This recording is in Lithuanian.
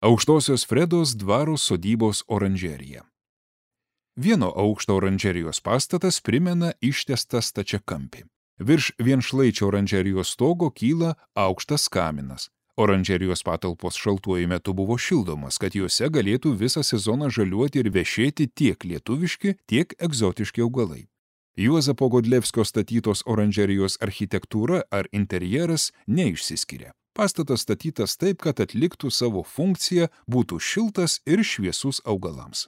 Aukštosios Fredos dvaro sodybos oranžerija. Vieno aukšto oranžerijos pastatas primena ištiestą stačiakampį. Virš vienšlaičio oranžerijos stogo kyla aukštas kaminas. Oranžerijos patalpos šaltuoju metu buvo šildomas, kad juose galėtų visą sezoną žaliuoti ir vešėti tiek lietuviški, tiek egzotiški augalai. Juozapo Godlevskio statytos oranžerijos architektūra ar interjeras neišsiskiria. Pastatas statytas taip, kad atliktų savo funkciją, būtų šiltas ir šviesus augalams.